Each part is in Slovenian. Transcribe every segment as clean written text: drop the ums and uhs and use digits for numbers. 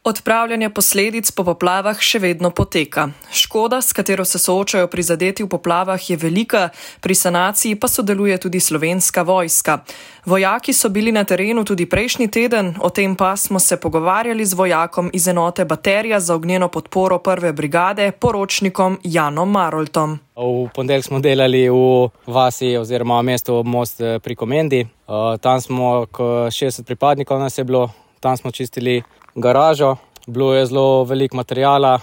Odpravljanje posledic po poplavah še vedno poteka. Škoda, s katero se soočajo prizadeti v poplavah, je velika, pri sanaciji pa sodeluje tudi Slovenska vojska. Vojaki so bili na terenu tudi prejšnji teden, o tem pa smo se pogovarjali z vojakom iz enote Baterija za ognjeno podporo 1. brigade, poročnikom Janom Maroltom. V ponedeljek smo delali v vasi oziroma mestu Most pri Komendi. Tam smo 60 pripadnikov nas je bilo, tam smo čistili garažo, bilo je zelo veliko materijala,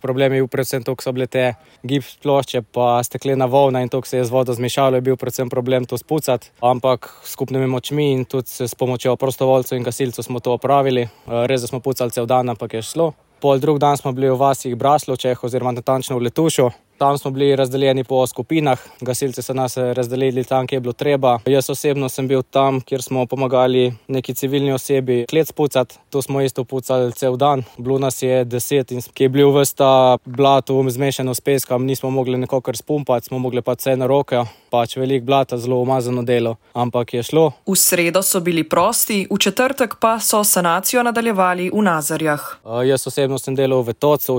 problem je bil predvsem to, ko so bile te gips plošče pa steklena volna in to, ko se je z vodo zmešalo, je bil predvsem problem to spucati, ampak s skupnimi močmi in tudi s pomočjo prostovoljcev in gasilcev smo to opravili. Res, da smo pucali cel dan, ampak je šlo. Drug dan smo bili v vasi Braslovčeh oziroma natančno v Letušu. Tam smo bili razdeljeni po skupinah, gasilci so nas razdelili tam, kjer je bilo treba. Jaz osebno sem bil tam, kjer smo pomagali neki civilni osebi klet spucati. To smo isto pucali cel dan. Bilo nas je 10 in ki je bil ves ta blato zmešano s peskom, nismo mogli nekako spumpati, smo mogli pa vse na roke. Veliko blata, zelo umazano delo, ampak je šlo. V sredo so bili prosti, v četrtek pa so sanacijo nadaljevali v Nazarjah. Jaz osebno sem delal v Tocu,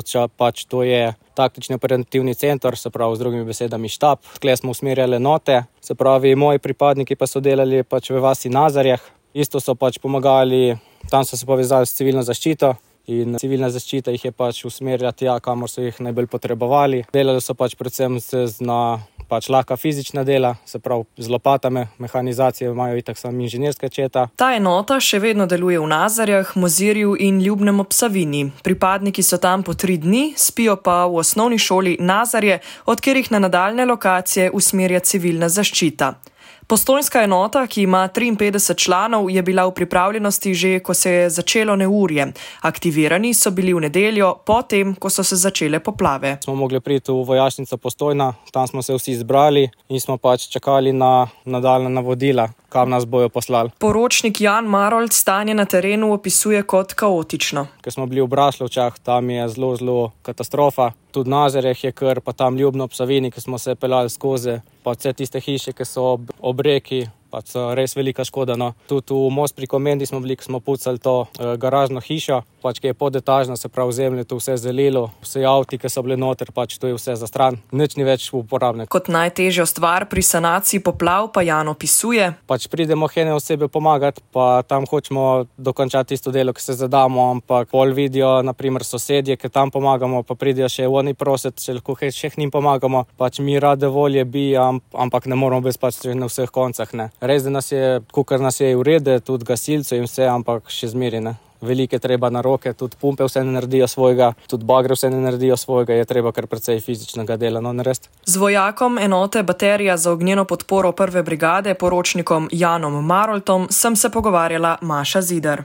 to je taktični operativni center, se pravi z drugimi besedami štab. Tukaj smo usmerjali enote, se pravi moji pripadniki pa so delali v vasi Nazarjah. Isto so pomagali, tam so se povezali s civilno zaščito in civilna zaščita jih je usmerjala tja, kamor so jih najbolj potrebovali. Delali so predvsem na lahka fizična dela, se pravi z lopatami, mehanizacije imajo itak samo inženirska četa. Ta enota še vedno deluje v Nazarjah, Mozirju in Ljubnem ob Savinji. Pripadniki so tam po 3 dni, spijo pa v osnovni šoli Nazarje, od katerih na nadaljne lokacije usmerja civilna zaščita. Postojnska enota, ki ima 53 članov, je bila v pripravljenosti že, ko se je začelo neurje. Aktivirani so bili v nedeljo, potem, ko so se začele poplave. Smo mogli priti v vojašnico Postojna, tam smo se vsi zbrali in smo čakali na nadaljnja navodila, kam nas bojo poslali. Poročnik Jan Marolt stanje na terenu opisuje kot kaotično. Ko smo bili v Braslovčah, tam je zelo katastrofa. Tudi v Nazarjah je kar, pa tam Ljubno ob Savinji, ki smo se peljali skozi, pa vse tiste hiše, ki so ob reki, so res velika škoda. No. Tudi v Most pri Komendi smo bili, ko smo pucali to garažno hišo, ki je podetažna, se pravi zemlje, to vse zelilo, vse avti, ki so bile noter, to je vse za stran, nič ni več uporabne. Kot najtežjo stvar pri sanaciji poplav pa Jan opisuje. Pridemo ene osebe pomagati, pa tam hočemo dokončati isto delo, ki se zadamo, ampak pol vidijo, naprimer sosedje, ki tam pomagamo, pa pridijo še oni prositi, če lahko še njim pomagamo. Mi rade volje bi, ampak ne moramo biti na vseh koncah, ne. Res, da nas je, kukar nas je urede, tudi gasilcev in vse, ampak še zmeri, ne. Velike treba na roke, tudi pumpe vse ne naredijo svojega, tudi bagre vse ne naredijo svojega, je treba kar precej fizičnega dela, narediti. Z vojakom enote Baterija za ognjeno podporo 1. brigade, poročnikom Janom Maroltom, sem se pogovarjala Maša Zidar.